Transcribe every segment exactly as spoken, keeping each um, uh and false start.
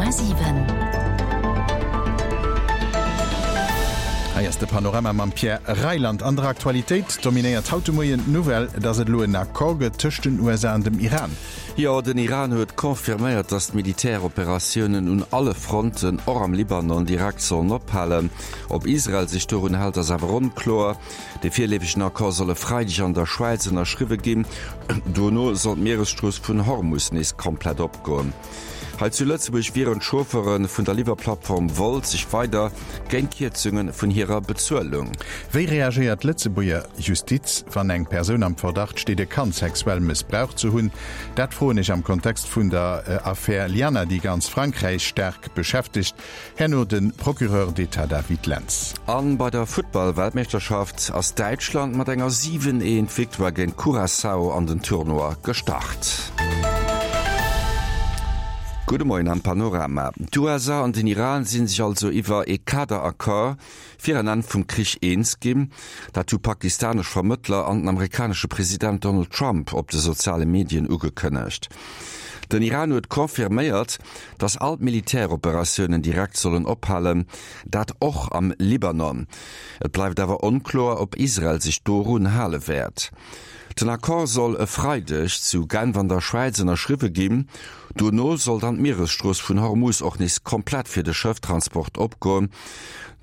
Komma siwen. Hei ass de Panorama mam Pierre Reyland. An der Aktualitéit dominéiert haut de Moien d'Nouvelle, dass et elo en Accord gëtt tëscht den U S A an dem Iran. Jo, den Iran huet confirméiert, dass d'Militäroperatiounen un alle Fronten, och am Libanon, direkt sollen ophalen. Ob Israel sech dorun hält, ass awer onkloer. De virleefegen Accord soll e Freideg an der Schwäiz ënnerschriwwe ginn. Dono soll d'Mieresstrooss vun Hormus nees komplett opgoen. Hei zu Lëtzebuerg wieren d'Chauffeure vun der Liwwerplattform Wolt sech weider géint Kierzunge vun hirer Bezuelung. Wéi reagéiert d'Lëtzebuerger Justiz, wann eng Persoun am Verdacht steet, e Kand sexuell mëssbraucht ze hunn? Dat froen ech am Kontext vun der Affär Liana, déi ganz Frankräich staark beschäftegt. Herno de Procureur d'État David Lentz. An bei der Futtball-Weltmeeschterschaft ass Däitschland mat enger siwen eent Victoire géint Curaçao an den Tournoi gestart. Gudde Moien am Panorama. D'U S A an den Iran sinn sech also iwwer ee Kaderaccord fir en Enn vum Krich eens ginn. Dat hu pakistanesch Vermëttler an den amerikanesche President Donald Trump op de soziale Medien ugekënnegt. Den Iran huet confirméiert, datt all d'Militäroperatiounen direkt sollen ophalen, dat och am Libanon. Et bleift awer onkloer, ob Israel sech dorun hale wäert. Den Accord soll e Freideg zu Genf an der Schwäiz ënnerschriwwe ginn. Dono soll dann d'Mieresstrooss vun Hormuz och nees komplett fir de Schëfftransport opgoen.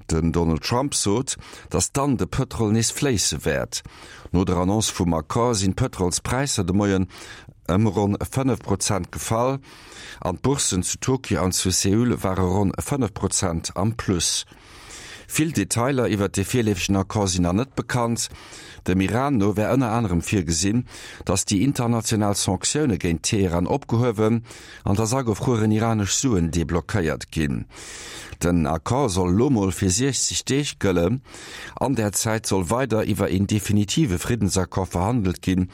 Den Donald Trump sot, datt dann de Pëtrol nees fléisse wäert. No der Annonce vum Accord sinn d'Pëtrolspräisser de Moien ëm ronn fënnef Prozent gefall. An d'Bourssen zu Tokio an zu Seoul ware ronn fënnef Prozent am Plus. Vill Detailer iwwer de virleefegen Accord sinn nach net bekannt. Dem Iran no wär ënner anerem virgesinn, datt déi international Sanktioune géint Teheran opgehuewen an datt agefrueren iranesch Suen deblockéiert ginn. Den Accord soll lo mol fir siechzeg Deeg gëllen. An der Zäit soll weider iwwer een definitive Friddensaccord verhandelt ginn,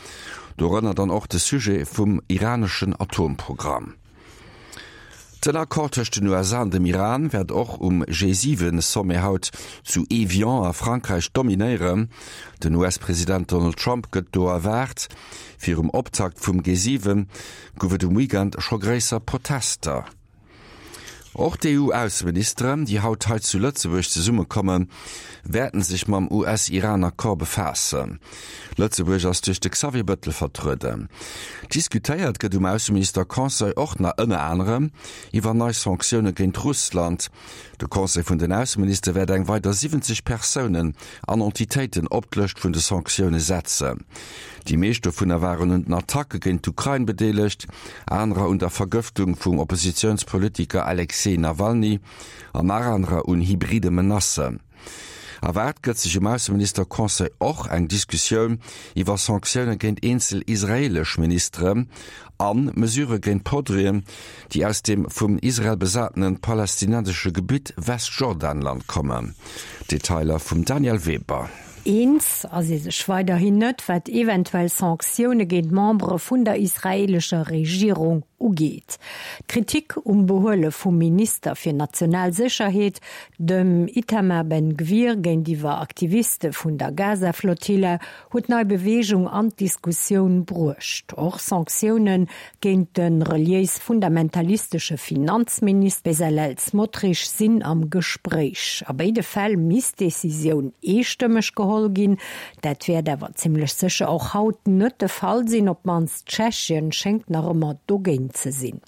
dorënner dann och de Sujet vum iraneschen Atomprogramm. Den Accord tëscht den U S A an dem Iran wäert och um G siwen Sommet haut zu Evian a Frankräich dominéieren. Den U S-President Donald Trump gëtt do erwaart. Virum Optakt vum G siwen gouf et um Weekend scho gréisser Protester. Och d'E U-Ausseministeren, déi haut hei zu Lëtzebuerg zesummekommen, wäerten sech mam U S-Iran-Accord befaassen. Lëtzebuerg ass duerch de Xavier Bettel vertrueden. Diskutéiert gëtt um Ausseminister-Conseil och nach ënner anerem iwwer nei Sanktioune géint Russland. De Conseil vun den Ausseminister wäert eng weider siwwenzeg Persounen an Entitéiten op d'Lëscht vun de Sanktioune setzen. Déi meescht dovunner waren un den Attacke géint d'Ukrain bedeelegt, anerer un der Vergëftung vum Oppositionspolitiker Alexei Nawalny an nach anerer un hybride Menacen. Erwaart gëtt sech um Ausseminister-Conseil och eng Diskussioun iwwer Sanktioune géint eenzel israelesch Ministere an Mesure géint Produiten, déi aus dem vum Israel besatenen palästinensesche Gebitt Westjordanland kommen. Detailer vum Daniel Weber. Eens ass ee sech weiderhin net, wat eventuell Sanktioune géint Membere vun der israelescher Regierung ugeet. Kritik um Behuele vum Minister fir national Sécherheet, dem Itamar Ben-Gvir géintiwwer Aktiviste vun der Gaza-Flottille, huet nei Bewegung an d'Diskussioun bruecht. Och Sanktioune géint den reliéis fundamentalistesche Finanzminister Bezalel Smotrich sinn am Gespréich. A béide Fäll misst d'Decisioun eestëmmeg geholl ginn. Dat wäert awer zimmlech sécher och haut net de Fall sinn, op d'mannst Tschechien schéngt nach ëmmer dogéint ze sinn.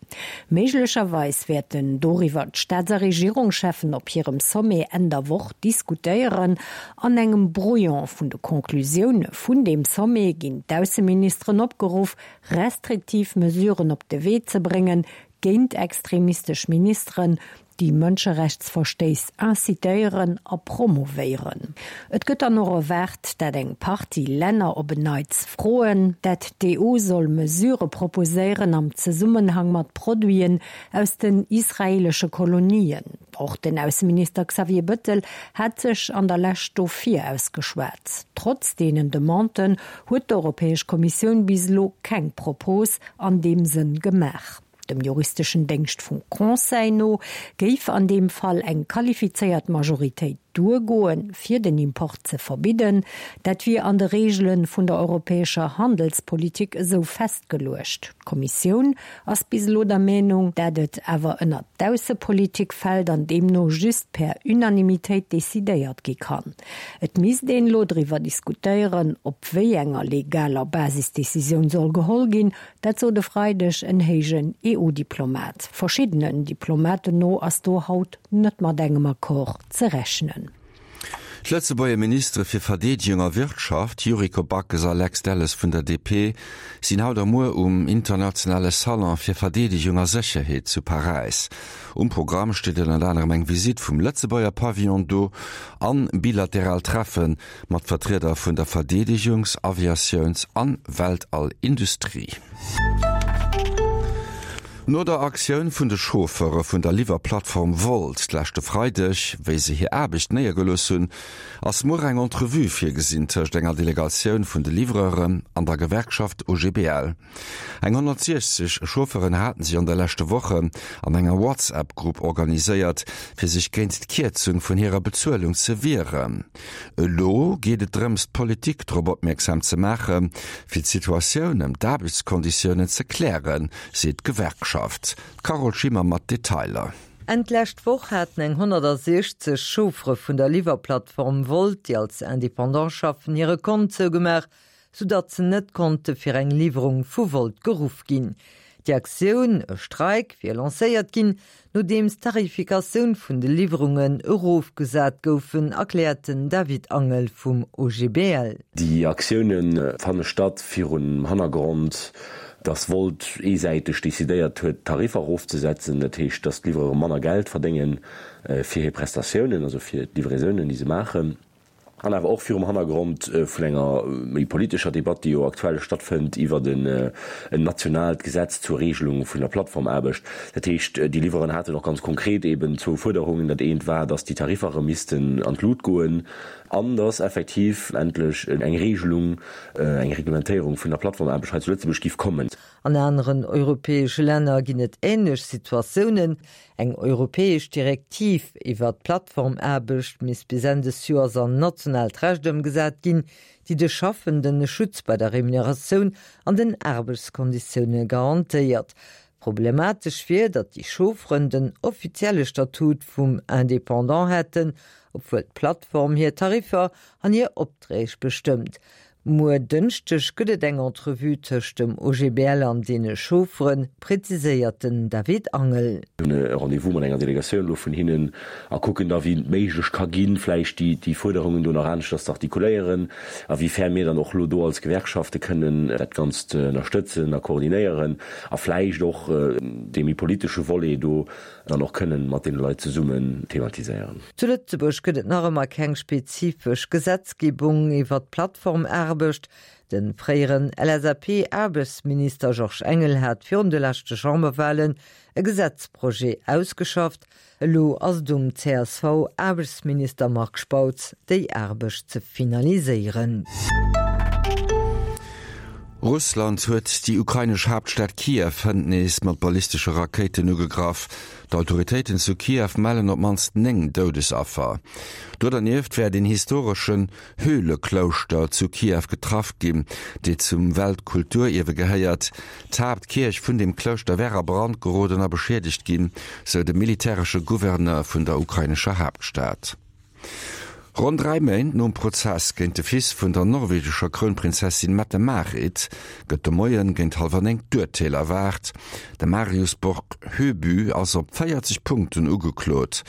Méiglecherweis wäerten doriwwer d'Staats- a Regierungscheffen op hirem Sommet Enn der Woch diskutéieren. An engem Brouillon vun de Konklusioune vun deem Sommet ginn d'Ausseministeren opgeruff, restriktiv Mesuren op de Wee ze bréngen géint extremistesch Ministeren, déi Mënscherechtsverstéiss incitéieren a promovéieren. Et gëtt dann och erwaart, dat eng Partie Länner op en Neits froen, dat d'E U soll Mesure proposéieren am Zesummenhang mat Produiten aus den israelesche Kolonien. Och den Ausseminister Xavier Bettel hat sech an der Lescht dofir ausgeschwat. Trotz deenen Demanden huet d'Europäesch Kommissioun bis elo keng Propos an deem Sënn gemaach. Dem juristeschen Déngscht vum Conseil no géif an deem Fall eng qualifizéiert Majoritéit duergoen, fir den Import ze verbidden. Dat wier an de Reegele vun der europäescher Handelspolitik esou festgeluecht. D'Kommissioun ass bis elo der Meenung, dat et awer ënnert d'Aussepolitik fält an deemno just per Unanimitéit decidéiert gi kann. Et misst een elo driwwer diskutéieren, op wéi enger legaler Basis d'Decisioun soll geholl ginn, dat sot e Freideg en héijen EU-Diplomat. Verschiddenen Diplomaten no ass do haut net mat engem Accord ze rechnen. D'Lëtzebuerger Ministere fir Verdeedegung a Wirtschaft, Yuriko Backes a Lex Delles vun der D P, sinn haut a muer um internationale Salon fir Verdeedegung a Sécherheet zu Paräis. Um Programm steet ënnert anerem eng Visitt vum Lëtzebuerger Pavillon do an bilateral Treffe mat Vertrieder vun der Verdeedegungs-, Aviatiouns an Weltallindustrie. No der Aktioun vun de Chauffeure vun der Liwwerplattform Wolt leschte Freideg, wéi se hir Aarbecht néiergelooss hunn, ass muer eng Entrevue virgesinn tëscht enger Delegatioun vun de Livreuren an der Gewerkschaft O G B L. Eng honnertsiechzeg Chauffeuren haten sech an de leschte Wochen an enger WhatsApp-Grupp organiséiert, fir sech géint d'Kierzung vun hirer Bezuelung ze wieren. Elo geet et drëms, d'Politik drop opmierksam ze maachen, fir d'Situatioun ëm d'Aarbechtskonditiounen ze klären, seet d'Gewerkschaft. D'Carole Schimmer mat Detailer. Enn d'lescht Woch haten eng honnertsiechzeg Chauffere vun der Liwwerplattform Wolt, déi als Independant schaffen, hire Kont zougemaach, soudatt se net konnte fir eng Liwwerung vu Wolt geruff ginn. Déi Aktioun, e Streik, wier lancéiert ginn, nodeems d'Tarifikatioun vun de Liwwerungen erofgesat goufen, erkläert den David Angel vum O G B L. Déi Aktioune fanne statt virum Hannergrond, dass Wolt eesäiteg decidéiert huet, d'Tariffer erofzesetzen, dat heescht, dass d'Livreure manner Geld verdéngen fir hir Prestatiounen, also fir d'Livraisonen, déi se maachen. An awer och virum Hannergrond vun enger méi politescher Debatt, déi jo aktuell stattfënnt iwwer en nationaalt Gesetz zur Regelung vun der Plattformaarbecht. Dat heescht, déi Livreuren haten och ganz konkret eben zwou Fuerderungen. Dat eent war, dass déi Tariffer erëm missten an d'Lut goen an dass effektiv endlech eng Regelung, eng Reglementéierung vun der Plattformaarbecht hei zu Lëtzebuerg géif kommen. An aneren europäesche Länner ginn et änlech Situatiounen. Eng europäesch Direktiv iwwer d'Plattformaarbecht misst bis Enn des Joers an nationaalt Recht ëmgesat ginn, déi de Schaffenden e Schutz bei der Remuneratioun an den Aarbechtskonditioune garantéiert. Problematesch wier, datt déi Chaufferen den offizielle Statut vum Independant hätten, obwuel d'Plattform hir Tariffer an hir Opträg bestëmmt. Muer Dënschdeg gëtt et eng Entrevue tëscht dem O G B L an deene Chaufferen, präziséiert den David Angel. E Rendez-vous mat enger Delegatioun elo vun hinnen a kucken da wéi et méiglech ka ginn, vläicht déi déi Fuerderungen do nach aneschters ze artikuléieren a wéi fern mir dann och elo do als Gewerkschafte kënnen dat Ganzt ënnerstëtzen a koordinéieren a vläicht och dee méi politesche Volet do dann och kënnen mat deene Leit zesummen thematiséieren. Zu Lëtzebuerg gëtt et nach ëmmer keng spezifesch Gesetzgebung iwwer d'Plattformaarbecht. De fréieren L S A P-Aarbechtsminister Georges Engel hat virun de leschte Chamberwalen e Gesetzprojet ausgeschafft. Elo ass et um C S V-Aarbechtsminister Marc Spautz, déi Aarbecht ze finaliséieren. Russland huet déi ukrainesch Haaptstad Kiew hënt nees mat ballistesche Rakéiten ugegraff. D'Autoritéiten zu Kiew mellen op d'mannst néng Doudesaffer. Do dernieft wär den historeschen Höhleklouschter zu Kiew getraff ginn, déi zum Weltkulturierwe gehéiert. D'Haaptkierch vun dem Klouschter wär a Brand geroden a beschiedegt ginn, sou de militäresche Gouverneur vun der ukrainescher Haaptstad. Ronn dräi Méint nom Prozess géint de Fils vun der norwegescher Krounprinzessin Mette-Marit gëtt de Moien géint hallwer néng d'Urteel erwaart. De Marius Borg Høiby ass op véierzeg Punkten ugeklot,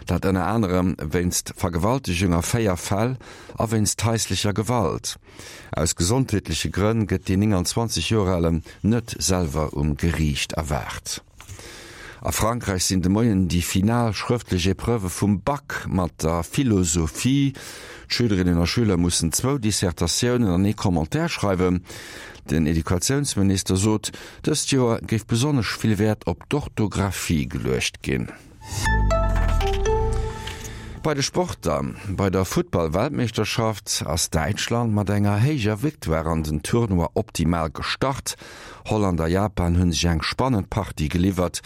dat ënner anerem wéinst Vergewaltegung a véier Fäll a wéinst haislecher Gewalt. Aus gesondheetleche Grënn gëtt den nénganzwanzeg Joer Alen net selwer um Geriicht erwaart. A Frankräich sinn de Moien déi final schrëftlech Epreuvë vum Bac mat der Philosophie. D'Schülerinnen a Schüler mussen zwou Dissertatiounen an ee Commentaire schreiwen. Den Educatiounsminister sot, dëst Joer géif besonnesch vill Wäert op d'Orthografie geluecht ginn. Bei de Sporter, bei der Futtball-Weltmeeschterschaft ass Däitschland mat enger héijer Victoire an den Tournoi optimal gestart. Holland a Japan hunn sech eng spannend Partie geliwwert.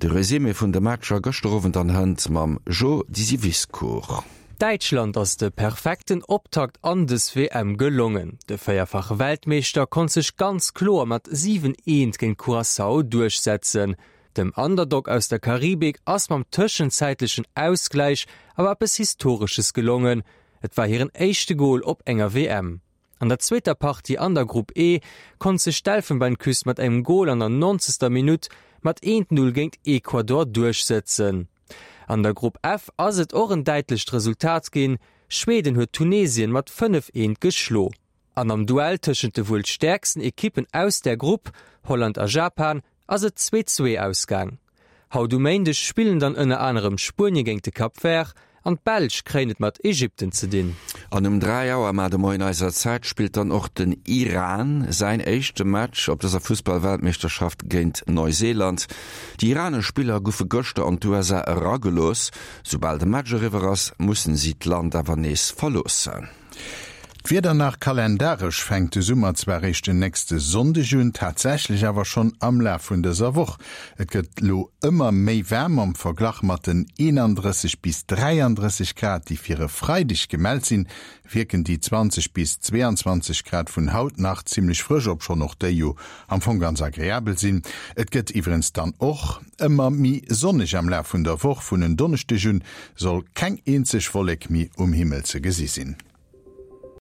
De Resumé vun de Matcher gëschter Owend an hënt mam Jo Disiviscour. Däitschland ass de perfekten Optakt an dës WM gelongen. De véierfache Weltmeeschter konnt sech ganz kloer mat siwen, eent géint Curaçao duerchsetzen. Dem Underdog aus der Karibik ass mam tëschenzäitlechen Ausgläich awer eppes Historesches gelongen, Et war hiren éischte Gol op enger W M. An der zweeter Partie an der Grupp E konnt sech d'Elfenbeinküst mat engem Gol an der nonzegster Minutt mat eent, null géint Ecuador duerchsetzen. An der Grupp F ass et och en däitlecht Resultat ginn, Schweden huet Tunesien mat fënnef, eent geschlo. An am Duell tëschent de wuel stäerksten Ekippen aus där Grupp, Holland a Japan, ass et zwee, zwee ausgaang. Haut um Méindeg spillen dann ënner anerem Spuenie géint de Cap Vert an d'Belsch kréien et mat Ägypten ze dinn. An um dräi Auer mar de Moien eiser Zäit spillt dann och den Iran säin éischte Match op dëser Fussballweltmeeschterschaft géint Neuseeland. Déi iranesch Spiller goufe gëschter an d'U S A eragelooss. Soubal de Match eriwwer ass, mussen si d'Land awer nees verloossen. D'Wieder nach, Kalendaresch fänkt de Summer zwar réischt den nächste Sonndeg un, tatsächlech awer schonn am Laf vun dëser Woch. Et gëtt lo ëmmer méi waarm. Am Verglach mat den eenandrësseg bis dräiandrësseg Grad, déi fir e Freideg gemellt sinn, wierken déi zwanzeg bis zweeanzwanzeg Grad vun haut nach zimmlech frësch, obschonn och déi jo am Fong ganz agreabel sinn. Et gëtt iwwerens dann och ëmmer méi sonneg am Laf vun der Woch. Vun en Donneschdeg un soll keng eenzeg Wollek méi um Himmel ze gesi sinn.